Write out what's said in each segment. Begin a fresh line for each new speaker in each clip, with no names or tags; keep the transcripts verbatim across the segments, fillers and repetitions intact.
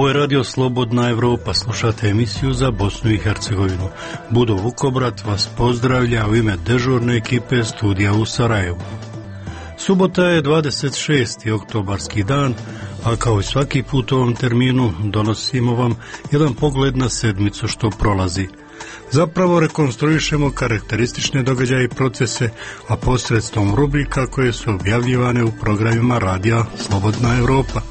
Ovo je radio Slobodna Evropa, slušate emisiju za Bosnu i Hercegovinu. Budo Vukobrat vas pozdravlja u ime dežurne ekipe studija u Sarajevu. Subota je dvadeset šesti oktobarski dan, a kao i svaki put u ovom terminu donosimo vam jedan pogled na sedmicu što prolazi. Zapravo rekonstruišemo karakteristične događaje i procese, a posredstvom rubrika koje su objavljivane u programima radija Slobodna Evropa.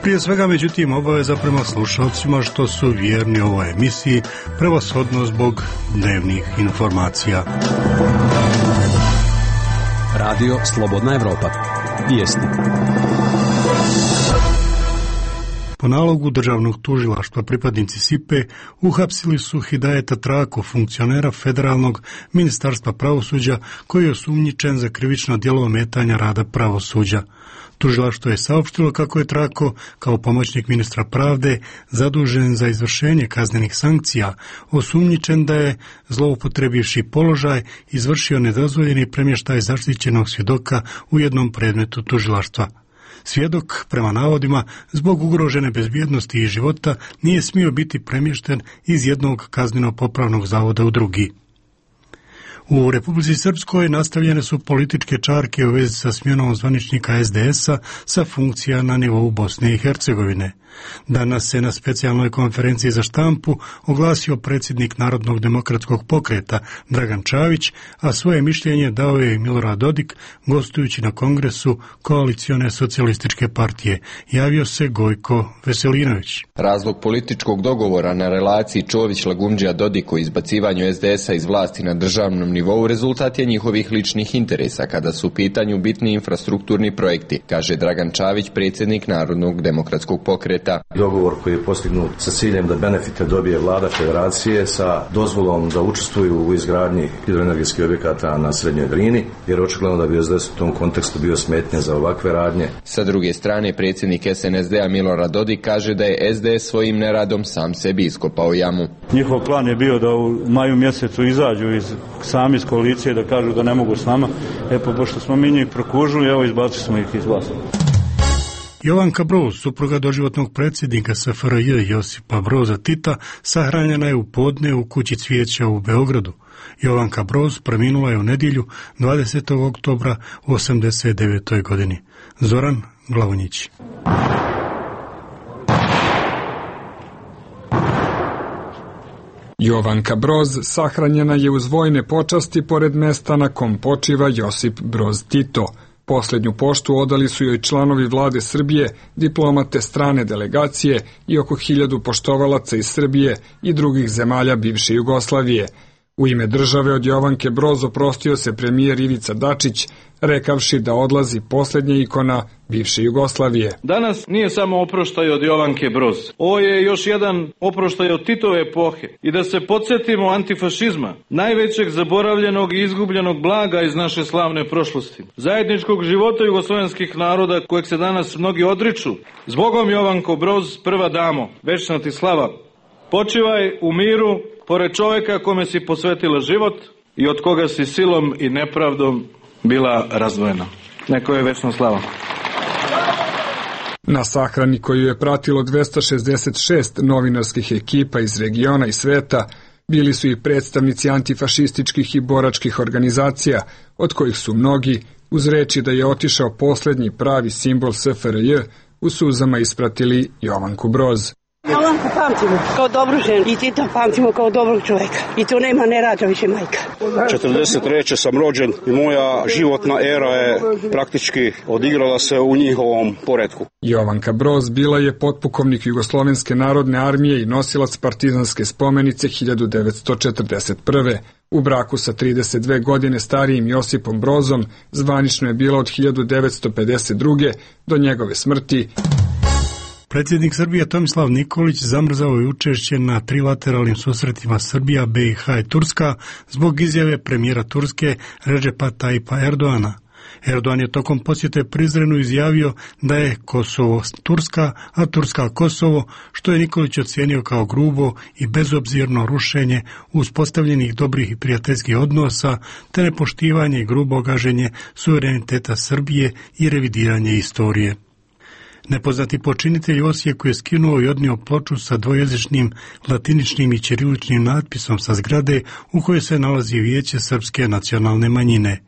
Prije svega, međutim, obaveza prema slušalcima što su vjerni ovoj emisiji, prevashodno zbog dnevnih informacija.
Radio Slobodna Evropa. Vijesti.
Po nalogu državnog tužilaštva pripadnici S I P-e uhapsili su Hidajeta Trako, funkcionera Federalnog ministarstva pravosuđa, koji je osumnjičen za krivično djelo ometanja rada pravosuđa. Tužilaštvo je saopštilo kako je Trako, kao pomoćnik ministra pravde, zadužen za izvršenje kaznenih sankcija, osumnjičen da je, zloupotrebivši položaj, izvršio nedozvoljeni premještaj zaštićenog svjedoka u jednom predmetu tužilaštva. Svjedok, prema navodima, zbog ugrožene bezbjednosti i života, nije smio biti premješten iz jednog kazneno-popravnog zavoda u drugi. U Republici Srpskoj nastavljene su političke čarke u vezi sa smjenom zvaničnika S D S-a sa funkcija na nivou Bosne i Hercegovine. Danas se na specijalnoj konferenciji za štampu oglasio predsjednik Narodnog demokratskog pokreta Dragan Čavić, a svoje mišljenje dao je i Milorad Dodik, gostujući na kongresu Koalicione socijalističke partije. Javio se Gojko Veselinović.
Razlog političkog dogovora na relaciji Čović-Lagumđija-Dodik o izbacivanju S D S-a iz vlasti na državnom nivou rezultat je njihovih ličnih interesa kada su u pitanju bitni infrastrukturni projekti, kaže Dragan Čavić, predsjednik Narodnog demokratskog pokreta.
Dogovor koji je postignut sa ciljem da benefite dobije vlada federacije sa dozvolom da učestvuju u izgradnji hidroenergetskih objekata na Srednjoj Drini, jer očigledno da bi S D S u tom kontekstu bio smetnja za ovakve radnje.
Sa druge strane, predsjednik S N S D-a Milorad Dodik kaže da je S D S svojim neradom sam sebi iskopao jamu.
Njihov plan je bio da u maju mjesecu izađu iz, sami iz koalicije, da kažu da ne mogu s nama. E pa pošto smo mi njih prokužili, evo izbacili smo ih iz vlasti.
Jovanka Broz, supruga doživotnog predsjednika S F R J Josipa Broza Tita, sahranjena je u podne u kući Cvijeća u Beogradu. Jovanka Broz preminula je u nedjelju dvadesetog oktobra u osamdeset devetoj godini. Zoran Glavonjić.
Jovanka Broz sahranjena je uz vojne počasti pored mesta na kom počiva Josip Broz Tito. Posljednju poštu odali su joj članovi vlade Srbije, diplomate strane delegacije i oko hiljadu poštovalaca iz Srbije i drugih zemalja bivše Jugoslavije. U ime države od Jovanke Broz oprostio se premijer Ivica Dačić, rekavši da odlazi posljednja ikona bivše Jugoslavije.
Danas nije samo oproštaj od Jovanke Broz. Ovo je još jedan oproštaj od Titove epohe. I da se podsjetimo antifašizma, najvećeg zaboravljenog i izgubljenog blaga iz naše slavne prošlosti. Zajedničkog života jugoslovenskih naroda kojeg se danas mnogi odriču. Zbogom Jovanko Broz, prva damo, večna ti slava. Počivaj u miru pored čovjeka kome si posvetila život i od koga si silom i nepravdom bila razdvojena. Neko je večna slava.
Na sahrani koju je pratilo dvesta šezdeset šest novinarskih ekipa iz regiona i sveta bili su i predstavnici antifašističkih i boračkih organizacija, od kojih su mnogi, uz reči da je otišao posljednji pravi simbol S F R J, u suzama ispratili Jovanku Broz.
Jovanku pamtimo kao dobru ženu i Tita pamtimo kao dobrog čovjeka. I tu nema ne rađa više majka.
četrdeset treće sam rođen i moja životna era je praktički odigrala se u njihovom poretku.
Jovanka Broz bila je potpukovnik Jugoslovenske narodne armije i nosilac partizanske spomenice hiljadu devetsto četrdeset prve. U braku sa trideset dve godine starijim Josipom Brozom zvanično je bila od hiljadu devetsto pedeset druge do njegove smrti.
Predsjednik Srbije Tomislav Nikolić zamrzao je učešće na trilateralnim susretima Srbija, B i H i Turska zbog izjave premijera Turske Redžepa Tajipa Erdoana. Erdogan je tokom posjete Prizrenu izjavio da je Kosovo Turska, a Turska Kosovo, što je Nikolić ocijenio kao grubo i bezobzirno rušenje uspostavljenih dobrih i prijateljskih odnosa, te nepoštivanje i grubo gaženje suvereniteta Srbije i revidiranje istorije. Nepoznati počinitelj u Osijeku je skinuo i odnio ploču sa dvojezičnim latiničnim i ćiriličnim natpisom sa zgrade u kojoj se nalazi Vijeće srpske nacionalne manjine.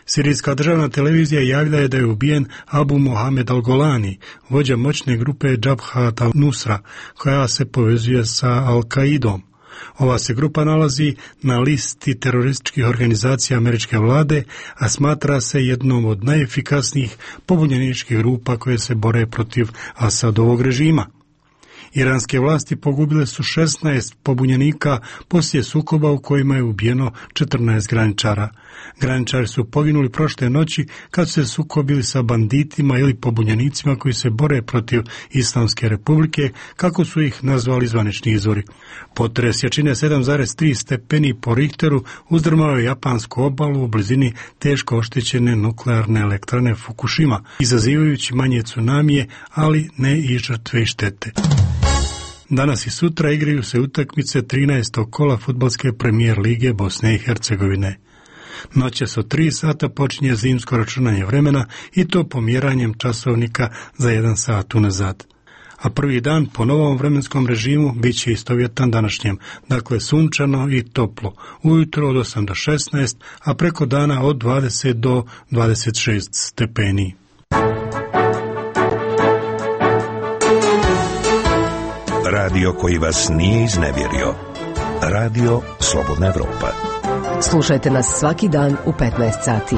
Sirijska državna televizija javila je da je ubijen Abu Mohamed al-Golani, vođa moćne grupe Jabhat al-Nusra, koja se povezuje sa Al-Qaidom. Ova se grupa nalazi na listi terorističkih organizacija američke vlade, a smatra se jednom od najefikasnijih pobunjeničkih grupa koje se bore protiv Asadovog režima. Iranske vlasti pogubile su šesnaest pobunjenika poslije sukoba u kojima je ubijeno četrnaest graničara. Graničari su poginuli prošle noći kad su se sukobili sa banditima ili pobunjenicima koji se bore protiv Islamske republike, kako su ih nazvali zvanični izvori. Potres jačine sedam zarez tri stepeni po Richteru uzdrmao je japansku obalu u blizini teško oštećene nuklearne elektrane Fukushima, izazivajući manje tsunamije, ali ne i žrtve i štete. Danas i sutra igraju se utakmice trinaestog kola fudbalske premijer lige Bosne i Hercegovine. Noćas od tri sata počinje zimsko računanje vremena i to pomjeranjem časovnika za jedan sat unazad. A prvi dan po novom vremenskom režimu bit će istovjetan današnjem, dakle sunčano i toplo, ujutro od osam do šesnaest, a preko dana od dvadeset do dvadeset šest stepeni.
Radio koji vas nije iznevjerio. Radio Slobodna Evropa.
Slušajte nas svaki dan u petnaest sati.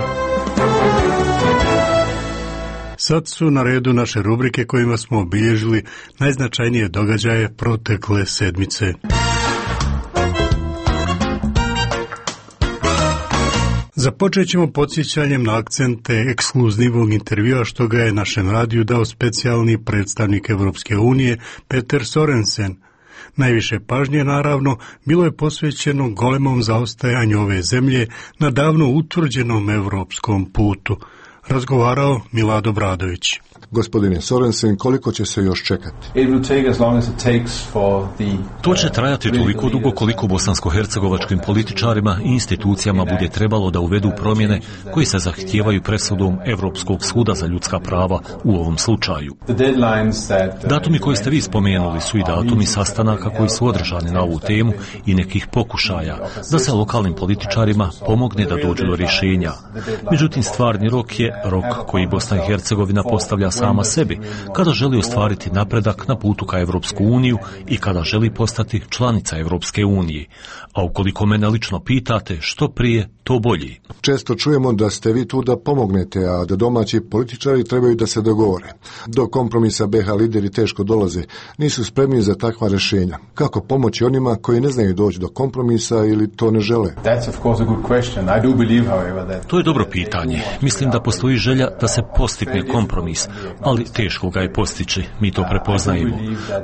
Sad su na redu naše rubrike kojima smo obilježili najznačajnije događaje protekle sedmice. Započet ćemo podsjećanjem na akcente ekskluzivnog intervjua što ga je našem radiju dao specijalni predstavnik Evropske unije Peter Sorensen. Najviše pažnje, naravno, bilo je posvećeno golemom zaostajanju ove zemlje na davno utvrđenom evropskom putu. Razgovarao Milad Obradović.
Gospodine Sorensen, koliko će se još čekati?
To će trajati toliko dugo koliko bosansko-hercegovačkim političarima i institucijama bude trebalo da uvedu promjene koji se zahtijevaju presudom Evropskog suda za ljudska prava u ovom slučaju. Datumi koje ste vi spomenuli su i datumi sastanaka koji su održani na ovu temu i nekih pokušaja da se lokalnim političarima pomogne da dođu do rješenja. Međutim, stvarni rok je rok koji Bosna i Hercegovina postavlja sama sebi, kada želi ostvariti napredak na putu ka Evropsku uniju i kada želi postati članica Evropske unije. A ukoliko mene lično pitate, što prije, to bolje.
Često čujemo da ste vi tu da pomognete, a da domaći političari trebaju da se dogovore. Do kompromisa be ha lideri teško dolaze, nisu spremni za takva rješenja. Kako pomoći onima koji ne znaju doći do kompromisa ili to ne žele?
To je dobro pitanje. Mislim da postoji želja da se postigne kompromis, ali teško ga je postići, mi to prepoznajemo.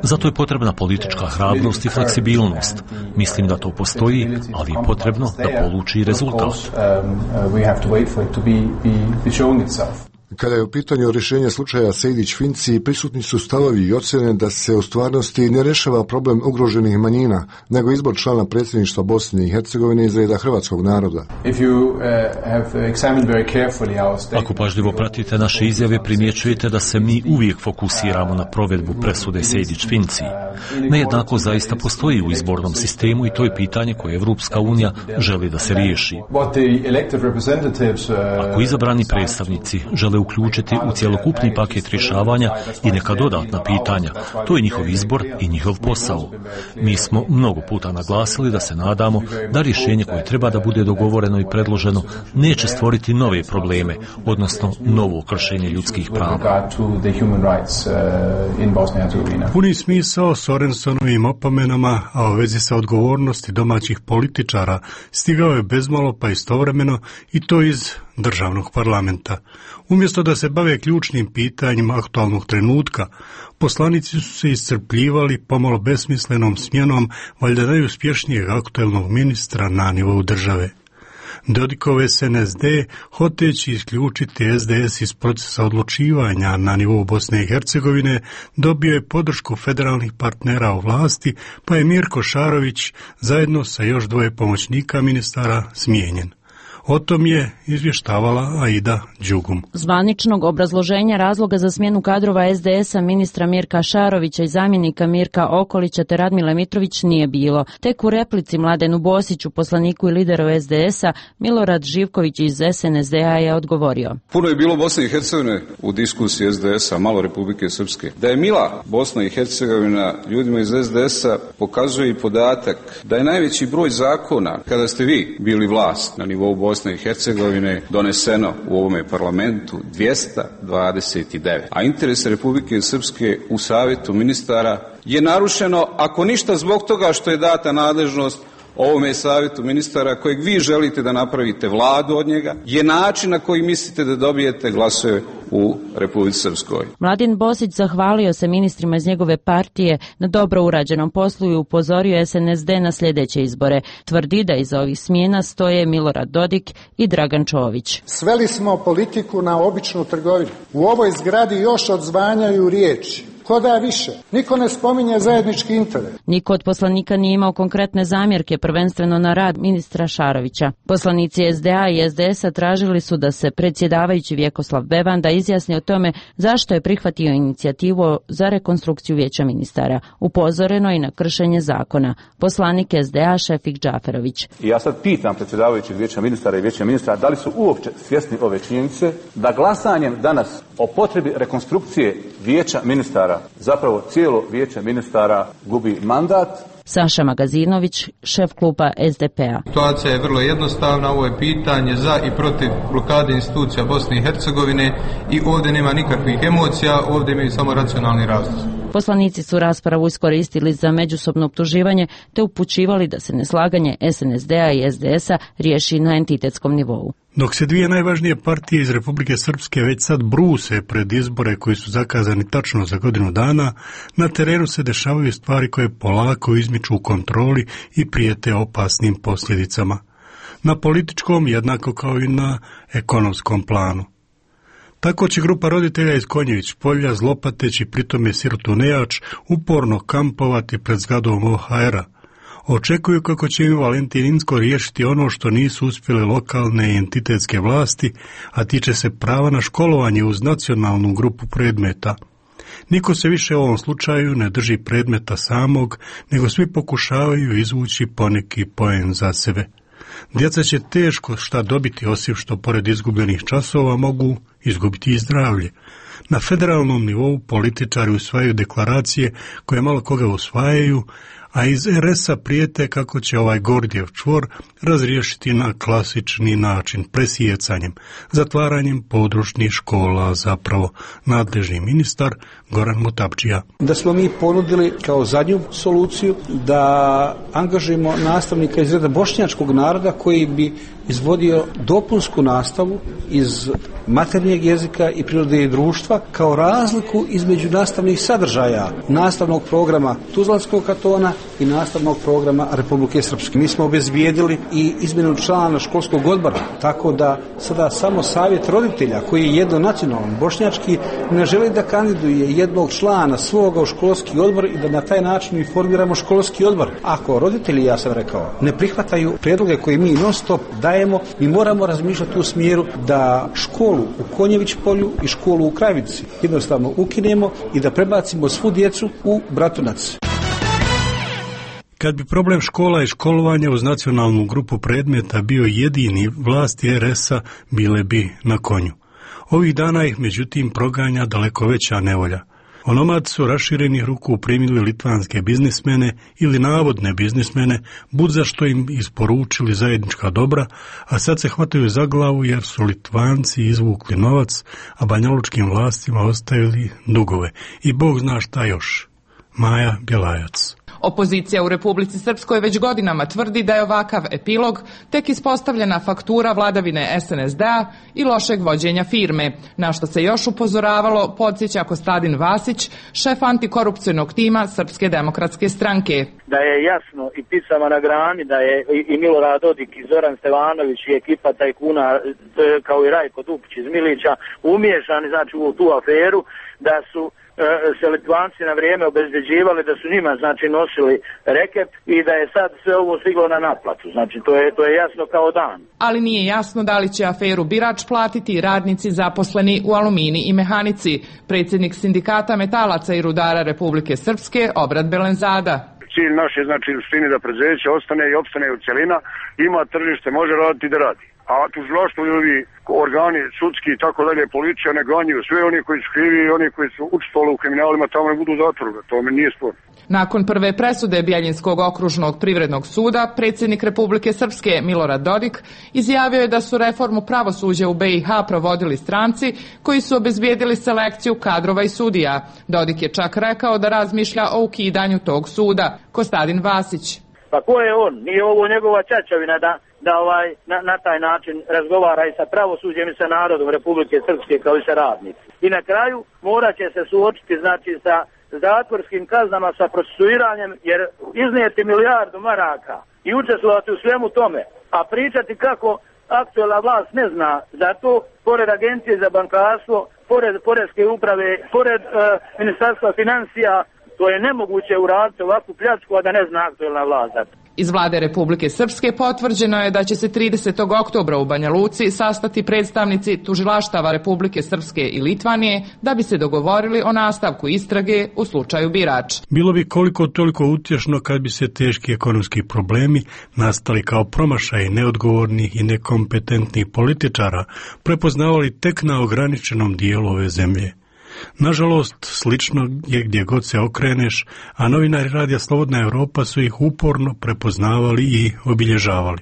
Zato je potrebna politička hrabrost i fleksibilnost. Mislim da to postoji, ali je potrebno da poluči rezultat.
Kada je u pitanju rješenja slučaja Sejdić-Finci, prisutni su stavovi i ocjene da se u stvarnosti ne rješava problem ugroženih manjina, nego izbor člana predsjedništva Bosne i Hercegovine iz reda hrvatskog naroda.
Ako pažljivo pratite naše izjave, primjećujete da se mi uvijek fokusiramo na provedbu presude Sejdić-Finci. Nejednako zaista postoji u izbornom sistemu i to je pitanje koje Evropska unija želi da se riješi. Ako izabrani predstavnici žele uključiti u cjelokupni paket rješavanja i neka dodatna pitanja, to je njihov izbor i njihov posao. Mi smo mnogo puta naglasili da se nadamo da rješenje koje treba da bude dogovoreno i predloženo neće stvoriti nove probleme, odnosno novo kršenje ljudskih prava.
Puni smisao Sorensonovim opomenama, a u vezi sa odgovornosti domaćih političara stigao je bezmalo pa istovremeno i to iz državnog parlamenta. Umjesto da se bave ključnim pitanjima aktualnog trenutka, poslanici su se iscrpljivali pomalo besmislenom smjenom valjda najuspješnijeg aktualnog ministra na nivou države. Dodikov es en es de, hoteći isključiti es de es iz procesa odlučivanja na nivou Bosne i Hercegovine, dobio je podršku federalnih partnera u vlasti, pa je Mirko Šarović zajedno sa još dvoje pomoćnika ministara smijenjen. O tom je izvještavala Aida Đugum.
Zvaničnog obrazloženja razloga za smjenu kadrova es de es-a ministra Mirka Šarovića i zamjenika Mirka Okolića te Radmile Mitrović nije bilo. Tek u replici Mladenu Bosiću, poslaniku i lideru es de es-a, Milorad Živković iz es en es de a je odgovorio.
Puno je bilo Bosne i Hercegovine u diskusiji es de es-a, malo Republike Srpske. Da je mila Bosna i Hercegovina ljudima iz es de es-a pokazuje i podatak da je najveći broj zakona kada ste vi bili vlast na nivou Bosne i Hercegovine doneseno u ovome parlamentu dvjesto dvadeset devet. A interes Republike Srpske u Savjetu ministara je narušeno, ako ništa zbog toga što je data nadležnost ovome savjetu ministara kojeg vi želite da napravite vladu od njega, je način na koji mislite da dobijete glasove u Republici Srpskoj.
Mladen Bosić zahvalio se ministrima iz njegove partije na dobro urađenom poslu i upozorio es en es de na sljedeće izbore. Tvrdi da iza ovih smjena stoje Milorad Dodik i Dragan Čović.
Sveli smo politiku na običnu trgovinu. U ovoj zgradi još odzvanjaju riječi. Ko da više? Niko ne spominje zajednički interes.
Niko od poslanika nije imao konkretne zamjerke, prvenstveno na rad ministra Šarovića. Poslanici es de a i es de es-a tražili su da se predsjedavajući Vjekoslav Bevanda izjasni o tome zašto je prihvatio inicijativu za rekonstrukciju vijeća ministara. Upozoreno i na kršenje zakona. Poslanik es de a Šefik Džaferović.
I ja sad pitam predsjedavajućeg vijeća ministara i vijeća ministara da li su uopće svjesni ove činjenice da glasanjem danas o potrebi rekonstrukcije vijeća ministara zapravo cijelo vijeće ministara gubi mandat.
Saša Magazinović, šef kluba es de pe-a.
Situacija je vrlo jednostavna, ovo je pitanje za i protiv blokade institucija Bosne i Hercegovine i ovdje nema nikakvih emocija, ovdje imaju samo racionalni razlog.
Poslanici su raspravu iskoristili za međusobno optuživanje te upućivali da se neslaganje es en es de a i es de es-a riješi na entitetskom nivou.
Dok se dvije najvažnije partije iz Republike Srpske već sad bruse pred izbore koji su zakazani tačno za godinu dana, na terenu se dešavaju stvari koje polako izmiču u kontroli i prijete opasnim posljedicama. Na političkom jednako kao i na ekonomskom planu. Tako će grupa roditelja iz Konjević polja, zlopateći pritome sirotu nejač, uporno kampovati pred zgradom o ha era. Očekuju kako će im Valentin Inzko riješiti ono što nisu uspjele lokalne i entitetske vlasti, a tiče se prava na školovanje uz nacionalnu grupu predmeta. Niko se više u ovom slučaju ne drži predmeta samog, nego svi pokušavaju izvući poneki poen za sebe. Djeca će teško šta dobiti, osim što pored izgubljenih časova mogu izgubiti i zdravlje. Na federalnom nivou političari usvajaju deklaracije koje malo koga usvajaju, a iz er es-a prijete kako će ovaj Gordijev čvor razriješiti na klasični način, presijecanjem, zatvaranjem područnih škola, zapravo nadležni ministar Goran Mutapčija.
Da smo mi ponudili kao zadnju soluciju da angažujemo nastavnika iz reda bošnjačkog naroda koji bi izvodio dopunsku nastavu iz maternjeg jezika i prirode i društva kao razliku između nastavnih sadržaja nastavnog programa Tuzlanskog kantona i nastavnog programa Republike Srpske. Mi smo obezbijedili i izmjenu člana školskog odbora, tako da sada samo savjet roditelja koji je jednonacionalan bošnjački ne želi da kandiduje jednog člana svoga u školski odbor i da na taj način informiramo školski odbor. Ako roditelji, ja sam rekao, ne prihvataju prijedloge koje mi non stop dajemo, mi moramo razmišljati u smjeru da školu u Konjević polju i školu u Kravici jednostavno ukinemo i da prebacimo svu djecu u Bratunac.
Kad bi problem škola i školovanja uz nacionalnu grupu predmeta bio jedini, vlasti er es-a bile bi na konju. Ovih dana ih međutim proganja daleko veća nevolja. Onomad su raširenih ruku primili litvanske biznismene ili navodne biznismene, bud za što im isporučili zajednička dobra, a sad se hvataju za glavu jer su Litvanci izvukli novac, a banjalučkim vlastima ostavili dugove. I Bog zna šta još. Maja Bjelajac.
Opozicija u Republici Srpskoj već godinama tvrdi da je ovakav epilog tek ispostavljena faktura vladavine es en es de a i lošeg vođenja firme, na što se još upozoravalo, podsjeća Kostadin Vasić, šef antikorupcijnog tima Srpske demokratske stranke.
Da je jasno i picama na grani da je i Milorad Dodik i Zoran Stevanović i ekipa tajkuna kao i Rajko Dupić iz Milića umiješani znači u tu aferu, da su se Litvanci na vrijeme obezbeđivali, da su njima znači nosili reket i da je sad sve ovo stiglo na naplatu. Znači to je, to je jasno kao dan.
Ali nije jasno da li će aferu Birač platiti radnici zaposleni u Alumini i Mehanici. Predsjednik sindikata metalaca i rudara Republike Srpske Obrad Belenzada.
Cilj naš je znači u suštini da preduzeće ostane i opstane u cjelina, ima tržište, može raditi i da radi. A tužilaštvo i ovi organi sudski i tako dalje, policija ne ganjaju sve oni koji su krivi i oni koji su učestvovali u kriminalima tamo ne budu u zatvoru, to mi nije sporno.
Nakon prve presude Bjeljinskog okružnog privrednog suda, predsjednik Republike Srpske Milorad Dodik izjavio je da su reformu pravosuđa u B i H provodili stranci koji su obezbijedili selekciju kadrova i sudija. Dodik je čak rekao da razmišlja o ukidanju tog suda. Kostadin Vasić.
Pa ko je on? Nije ovo njegova čačavina da, da ovaj, na, na taj način razgovara i sa pravosuđem i sa narodom Republike Srpske kao i sa radnici. I na kraju morat će se suočiti znači sa zatvorskim kaznama, sa procesuiranjem, jer iznijeti milijardu maraka i učestvovati u svemu tome, a pričati kako aktualna vlast ne zna za to, pored Agencije za bankarstvo, pored Poreske uprave, pored uh, Ministarstva financija, to je nemoguće uraditi ovakvu pljačku, a da ne zna aktualna vlast.
Iz vlade Republike Srpske potvrđeno je da će se tridesetog oktobra u Banja Luci sastati predstavnici tužilaštava Republike Srpske i Litvanije da bi se dogovorili o nastavku istrage u slučaju Birač.
Bilo bi koliko toliko utješno kad bi se teški ekonomski problemi nastali kao promašaj neodgovornih i nekompetentnih političara prepoznavali tek na ograničenom dijelu ove zemlje. Nažalost, slično je gdje god se okreneš, a novinari Radija Slobodna Europa su ih uporno prepoznavali i obilježavali.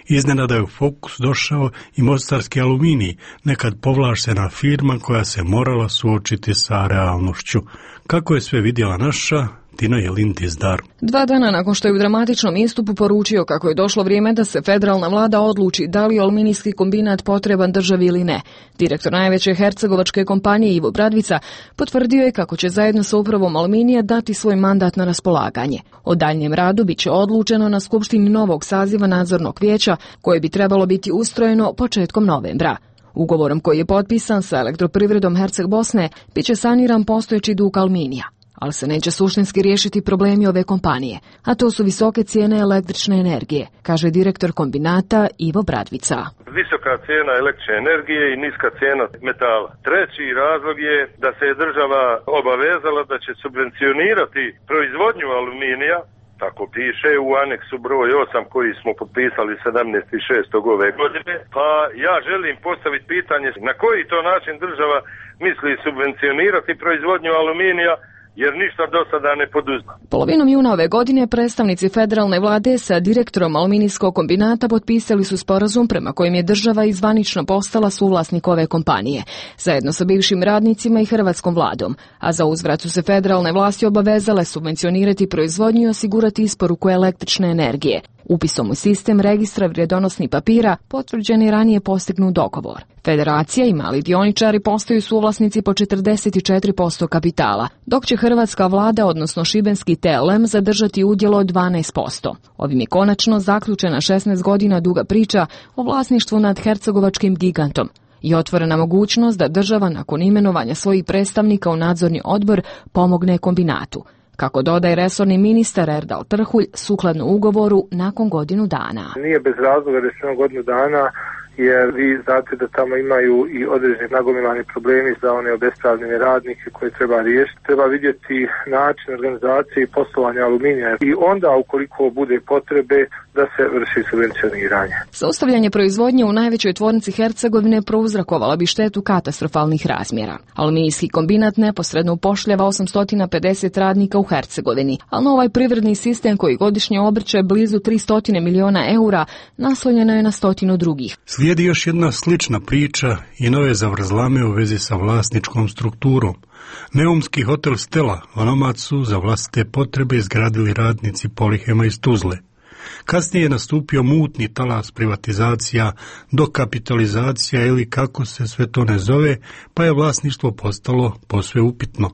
Iznenada je u fokus došao i mostarski Aluminij, nekad povlaštena firma koja se morala suočiti sa realnošću. Kako je sve vidjela naša Tina Jelin-Dizdar.
Dva dana nakon što je u dramatičnom istupu poručio kako je došlo vrijeme da se federalna vlada odluči da li je aluminijski kombinat potreban državi ili ne, direktor najveće hercegovačke kompanije Ivo Bradvica potvrdio je kako će zajedno sa upravom Aluminija dati svoj mandat na raspolaganje. O daljnjem radu bit će odlučeno na skupštini novog saziva nadzornog vijeća koje bi trebalo biti ustrojeno početkom novembra. Ugovorom koji je potpisan sa Elektroprivredom Herceg Bosne bit će saniran postojeći dug Aluminija, ali se neće suštinski riješiti problemi ove kompanije, a to su visoke cijene električne energije, kaže direktor kombinata Ivo Bradvica.
Visoka cijena električne energije i niska cijena metala. Treći razlog je da se je država obavezala da će subvencionirati proizvodnju aluminija, tako piše u aneksu broj osam koji smo potpisali sedamnaestog šestog ove godine. Pa ja želim postaviti pitanje na koji to način država misli subvencionirati proizvodnju aluminija, jer ništa do sada ne poduzma.
Polovinom juna ove godine predstavnici federalne vlade sa direktorom aluminijskog kombinata potpisali su sporazum prema kojem je država izvanično postala suvlasnik ove kompanije, zajedno sa bivšim radnicima i hrvatskom vladom, a za uzvrat su se federalne vlasti obavezale subvencionirati proizvodnju i osigurati isporuku električne energije. Upisom u sistem registra vrijedonosnih papira potvrđen je ranije postignut dogovor. Federacija i mali dioničari postaju suvlasnici po četrdeset četiri posto kapitala, dok će hrvatska vlada, odnosno šibenski T L M, zadržati udjelo od dvanaest posto. Ovim je konačno zaključena šesnaest godina duga priča o vlasništvu nad hercegovačkim gigantom i otvorena mogućnost da država nakon imenovanja svojih predstavnika u nadzorni odbor pomogne kombinatu, kako dodaje resorni ministar Erdal Trhulj, sukladno ugovoru nakon godinu dana.
Nije bez razloga da je godinu dana, jer vi znate da tamo imaju i određeni nagomilani problemi za one obespravljene radnike koje treba riješiti. Treba vidjeti način organizacije i poslovanja aluminija i onda, ukoliko bude potrebe, da se vrši subvencioniranje.
Zaustavljanje proizvodnje u najvećoj tvornici Hercegovine prouzrokovala bi štetu katastrofalnih razmjera. Aluminijski kombinat neposredno upošljava osamsto pedeset radnika u Hercegovini, ali na ovaj privredni sistem koji godišnje obrće blizu tristo miliona eura naslonjeno je na stotinu drugih.
Slijedi još jedna slična priča i nove zavrzlame u vezi sa vlasničkom strukturom. Neumski hotel Stella onomad su za vlastite potrebe izgradili radnici Polihema iz Tuzle. Kasnije je nastupio mutni talas privatizacija, dokapitalizacija ili kako se sve to ne zove, pa je vlasništvo postalo posve upitno.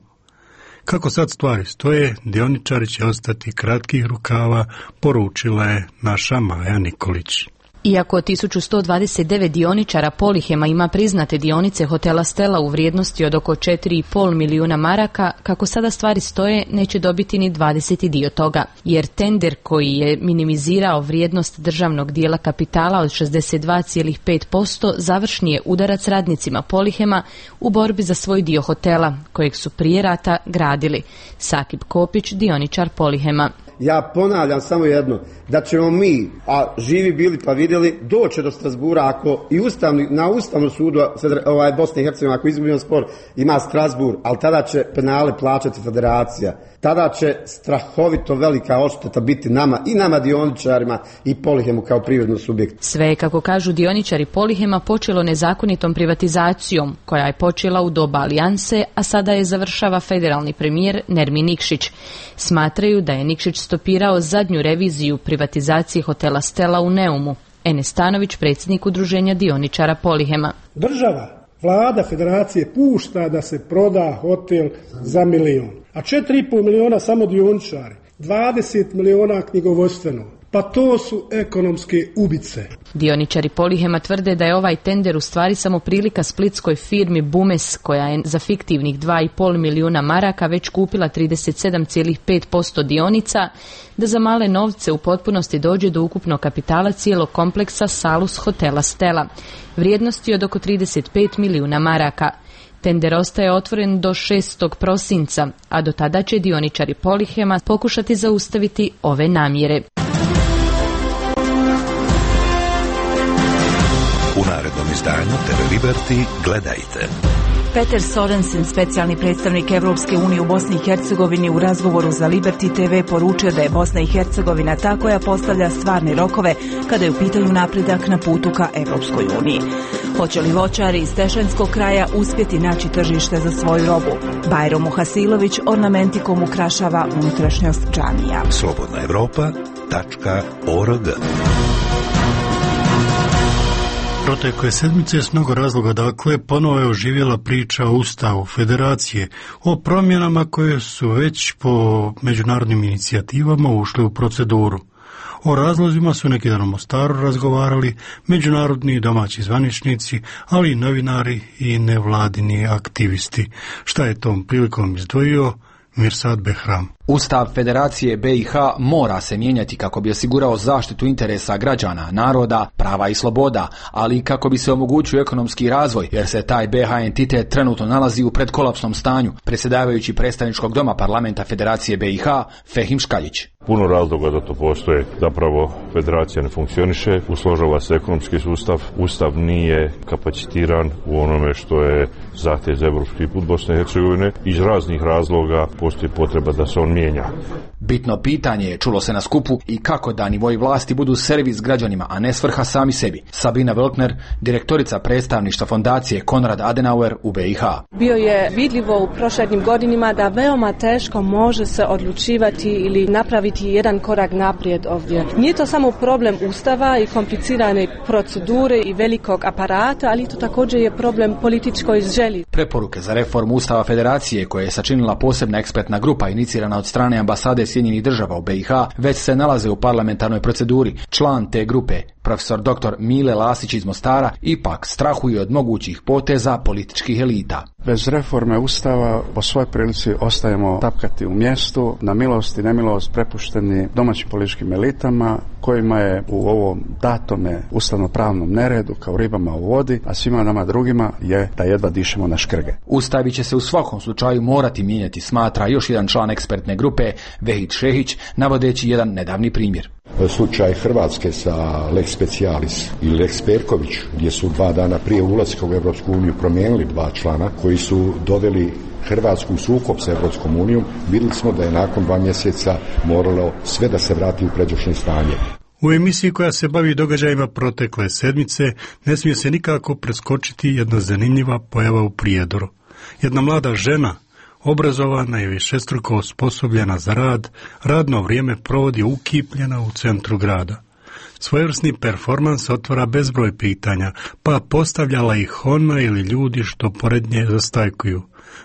Kako sad stvari stoje, dioničari će ostati kratkih rukava, poručila je naša Maja Nikolić.
Iako tisuću sto dvadeset devet dioničara Polihema ima priznate dionice hotela Stella u vrijednosti od oko četiri i pol milijuna maraka, kako sada stvari stoje, neće dobiti ni dvadeseti dio toga, jer tender koji je minimizirao vrijednost državnog dijela kapitala od šezdeset dva zarez pet posto završni je udarac radnicima Polihema u borbi za svoj dio hotela, kojeg su prije rata gradili. Sakib Kopić, dioničar Polihema.
Ja ponavljam samo jedno, da ćemo mi, a živi bili pa vidjeli, doći do Strasbura ako i ustavni, na Ustavnom sudu ovaj, Bosne i Hercegovine, ako izgubimo spor, ima Strasbur, ali tada će penale plaćati federacija. Tada će strahovito velika odšteta biti nama i nama dioničarima i Polihemu kao privrednom subjektu.
Sve, kako kažu dioničari Polihema, počelo nezakonitom privatizacijom, koja je počela u doba alijanse, a sada je završava federalni premijer Nermin Nikšić. Smatraju da je Nikšić stopirao zadnju reviziju privatizacije hotela Stella u Neumu. Enes Stanović, predsjednik udruženja dioničara Polihema.
Država, vlada federacije pušta da se proda hotel za milion, a četiri i pol miliona samo dioničari, dvadeset miliona knjigovodstveno. Pa to su ekonomske ubice.
Dioničari Polihema tvrde da je ovaj tender u stvari samo prilika splitskoj firmi Bumes, koja je za fiktivnih dva i pol milijuna maraka već kupila trideset sedam zarez pet posto dionica, da za male novce u potpunosti dođe do ukupnog kapitala cijelog kompleksa Salus hotela Stella, vrijednosti od oko trideset pet milijuna maraka. Tender ostaje otvoren do šestog prosinca, a do tada će dioničari Polihema pokušati zaustaviti ove namjere.
U narednom izdanju T V Liberty gledajte.
Peter Sorensen, specijalni predstavnik Evropske unije u Bosni i Hercegovini, u razgovoru za Liberty T V poručio da je Bosna i Hercegovina ta koja postavlja stvarne rokove kada je u pitanju napredak na putu ka Evropskoj uniji. Hoće li voćari iz Tešenskog kraja uspjeti naći tržište za svoju robu? Bajro Muhasilović ornamentikom ukrašava unutrašnjost džamija.
slobodna evropa tačka org.
Protekle sedmice s mnogo razloga, dakle, ponovo je oživjela priča o Ustavu Federacije, o promjenama koje su već po međunarodnim inicijativama ušle u proceduru. O razlozima su neki dan u Mostaru razgovarali međunarodni i domaći zvaničnici, ali i novinari i nevladini aktivisti. Šta je tom prilikom izdvojio Mirsad Behram?
Ustav Federacije B i H mora se mijenjati kako bi osigurao zaštitu interesa građana, naroda, prava i sloboda, ali i kako bi se omogućio ekonomski razvoj, jer se taj B H entitet trenutno nalazi u predkolapsnom stanju, predsjedavajući predstavničkog doma parlamenta Federacije B i H Fehim Škaljić.
Puno razloga da to postoje. Zapravo federacija ne funkcioniše, usložava se ekonomski sustav, ustav nije kapacitiran u onome što je zahtjev za evropski put Bosne i Hercegovine. Iz raznih razloga postoji potreba da se on mijenja.
Bitno pitanje je, čulo se na skupu, i kako da nivoji vlasti budu servis građanima, a ne svrha sami sebi. Sabina Velkner, direktorica predstavništva fondacije Konrad Adenauer u B i H.
Bio je vidljivo u prošlim godinama da veoma teško može se odlučivati ili napraviti jedan korak naprijed ovdje. Nije to samo problem ustava i komplicirane procedure i velikog aparata, ali to također je problem političkoj želji.
Preporuke za reformu Ustava Federacije, koje je sačinila posebna ekspertna grupa inicirana od strane ambasade Sjedinjenih država u B i H, već se nalaze u parlamentarnoj proceduri. Član te grupe, profesor doktor Mile Lasić iz Mostara, ipak strahuje od mogućih poteza političkih elita.
Bez reforme Ustava po svoj prilici ostajemo tapkati u mjestu, na milost i nemilost prepušteni domaćim političkim elitama, kojima je u ovom datome ustavno-pravnom neredu kao ribama u vodi, a svima nama drugima je da jedva dišemo na škrge.
Ustavi će se u svakom slučaju morati mijenjati, smatra još jedan član ekspertne grupe, Vehid Šehić, navodeći jedan nedavni primjer.
Slučaj Hrvatske sa Lex Specialis i Lex Perković, gdje su dva dana prije ulaska u Evropsku uniju promijenili dva člana koji su doveli Hrvatsku u sukob sa Evropskom unijom, vidjeli smo da je nakon dva mjeseca moralo sve da se vrati u pređašnje stanje.
U emisiji koja se bavi događajima protekle sedmice ne smije se nikako preskočiti jedna zanimljiva pojava u Prijedoru. Jedna mlada žena, obrazovana i višestruko osposobljena za rad, radno vrijeme provodi ukipljena u centru grada. Svojevrsni performans otvara bezbroj pitanja, pa postavljala ih ona ili ljudi što pored nje zastajkuju.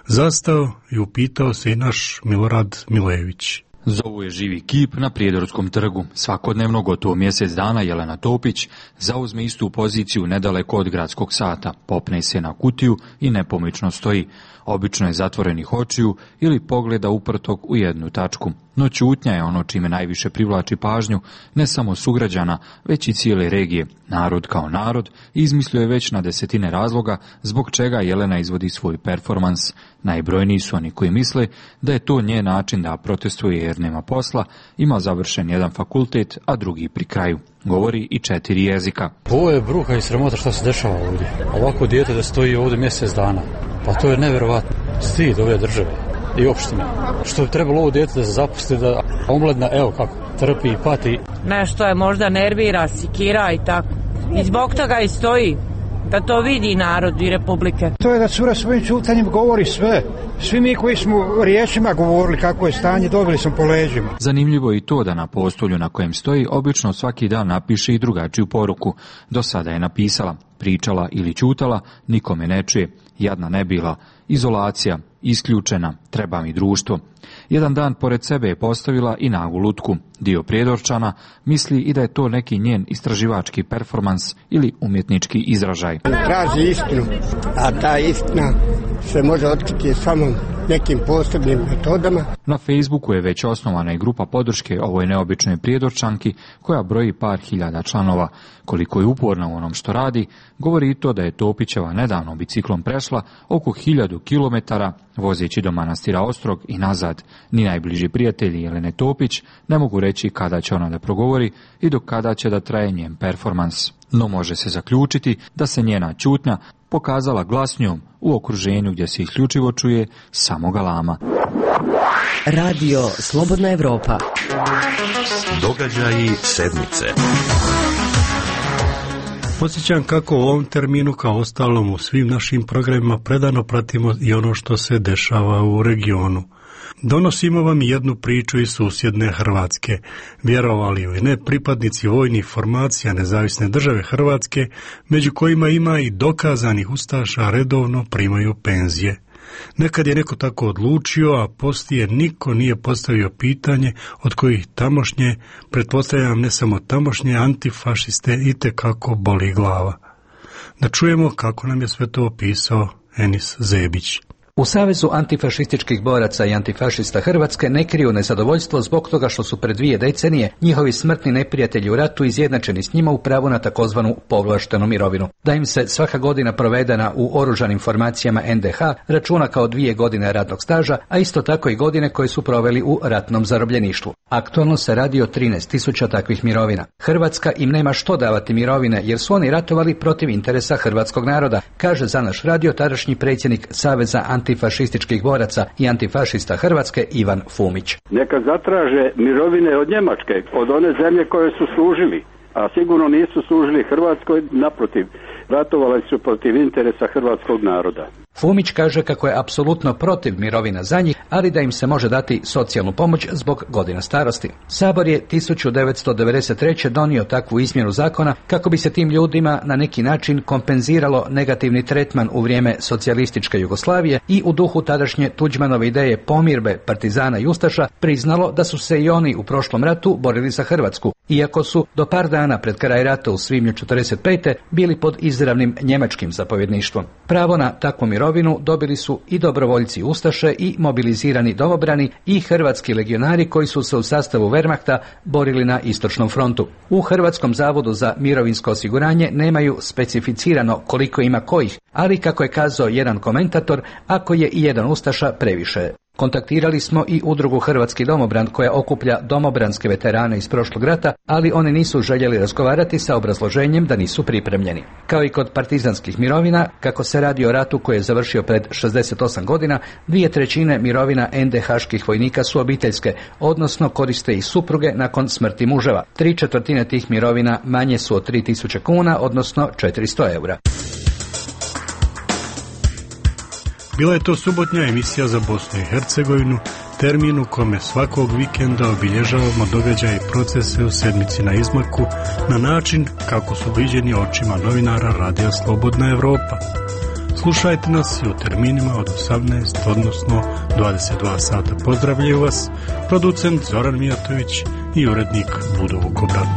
Zastao i upitao se i naš Milorad Milević.
Zovu je živi kip na Prijedorskom trgu. Svakodnevno gotovo mjesec dana Jelena Topić zauzme istu poziciju nedaleko od gradskog sata, popne se na kutiju i nepomično stoji. Obično je zatvorenih očiju ili pogleda uprtog u jednu tačku. No ćutnja je ono čime najviše privlači pažnju ne samo sugrađana, već i cijele regije. Narod kao narod izmislio je već na desetine razloga zbog čega Jelena izvodi svoj performans. Najbrojniji su oni koji misle da je to njen način da protestuje jer nema posla, ima završen jedan fakultet, a drugi pri kraju. Govori i četiri jezika.
Ovo je bruka i sramota što se dešava ovdje. Ovako dijete da stoji ovdje mjesec dana. Pa to je nevjerovatno. Stid ove države i opštine. Što bi trebalo ovo dijete da se zapusti, da omladna, evo kako, trpi i pati.
Nešto je možda nervira, sikira i tako. I zbog toga i stoji. Da to vidi narod i republike.
To je da cura svojim čutanjem govori sve. Svi mi koji smo riječima govorili kako je stanje, dobili smo po leđima.
Zanimljivo je i to da na postolju na kojem stoji obično svaki dan napiše i drugačiju poruku. Do sada je napisala, pričala ili ćutala, nikome ne čuje, jadna ne bila, izolacija, isključena, treba mi društvo. Jedan dan pored sebe je postavila i nagu lutku. Dio Prijedorčana misli i da je to neki njen istraživački performans ili umjetnički izražaj.
Traži istinu, a ta istina se može otkriti samo nekim posebnim metodama.
Na Facebooku je već osnovana i grupa podrške ovoj neobičnoj Prijedorčanki koja broji par hiljada članova. Koliko je uporna u onom što radi, govori i to da je Topićeva nedavno biciklom prešla oko hiljadu kilometara vozeći do manastira Ostrog i nazad. Ni najbliži prijatelji Jelene Topić ne mogu reći kada će ona da progovori i do kada će da traje njen performans. No može se zaključiti da se njena ćutnja pokazala glasnjom u okruženju gdje se isključivo čuje samo galama.
Radio Slobodna Evropa.
Događaji sedmice.
Podsjećam kako u ovom terminu, kao ostalom u svim našim programima, predano pratimo i ono što se dešava u regionu. Donosimo vam jednu priču iz susjedne Hrvatske. Vjerovali ili ne, pripadnici vojnih formacija Nezavisne države Hrvatske, među kojima ima i dokazanih ustaša, redovno primaju penzije. Nekad je neko tako odlučio, a poslije niko nije postavio pitanje od kojih tamošnje, pretpostavljam ne samo tamošnje, antifašiste itekako boli glava. Da čujemo kako nam je sve to opisao Enis Zebić.
U Savezu antifašističkih boraca i antifašista Hrvatske ne kriju nezadovoljstvo zbog toga što su pred dvije decenije njihovi smrtni neprijatelji u ratu izjednačeni s njima u pravu na takozvanu povlaštenu mirovinu. Da im se svaka godina provedena u oružanim formacijama en de ha računa kao dvije godine radnog staža, a isto tako i godine koje su proveli u ratnom zarobljeništvu. Aktualno se radi o trinaest tisuća takvih mirovina. Hrvatska im nema što davati mirovine jer su oni ratovali protiv interesa hrvatskog naroda, kaže za naš radio tadašnji predsjednik Saveza antifašističkih boraca i antifašista Hrvatske Ivan Fumić.
Neka zatraže mirovine od Njemačke, od one zemlje koje su služili, a sigurno nisu služili Hrvatskoj, naprotiv, ratovali su protiv interesa hrvatskog naroda.
Fumić kaže kako je apsolutno protiv mirovina za njih, ali da im se može dati socijalnu pomoć zbog godina starosti. Sabor je tisuću devetsto devedeset treće donio takvu izmjenu zakona kako bi se tim ljudima na neki način kompenziralo negativni tretman u vrijeme socijalističke Jugoslavije i u duhu tadašnje Tuđmanove ideje pomirbe partizana i ustaša priznalo da su se i oni u prošlom ratu borili za Hrvatsku, iako su do par dana pred kraj rata u svibnju četrdeset pete bili pod izravnim njemačkim zapovjedništvom. Pravo na takvu mirovinu dobili su i dobrovoljci ustaše i mobilizirani domobrani i hrvatski legionari koji su se u sastavu Wehrmachta borili na istočnom frontu. U Hrvatskom zavodu za mirovinsko osiguranje nemaju specificirano koliko ima kojih, ali kako je kazao jedan komentator, ako je i jedan ustaša previše. Kontaktirali smo i udrugu Hrvatski domobran koja okuplja domobranske veterane iz prošlog rata, ali oni nisu željeli razgovarati sa obrazloženjem da nisu pripremljeni. Kao i kod partizanskih mirovina, kako se radi o ratu koji je završio pred šezdeset osam godina, dvije trećine mirovina en de haških vojnika su obiteljske, odnosno koriste i supruge nakon smrti muževa. Tri četvrtine tih mirovina manje su od tri tisuće kuna, odnosno četiristo eura.
Bila je to subotnja emisija za Bosnu i Hercegovinu, termin u kome svakog vikenda obilježavamo događaje i procese u sedmici na izmaku na način kako su viđeni očima novinara Radija Slobodna Evropa. Slušajte nas i u terminima od osamnaest, odnosno dvadeset dva sata. Pozdravljaju vas producent Zoran Mijatović i urednik Budo Vukobrat.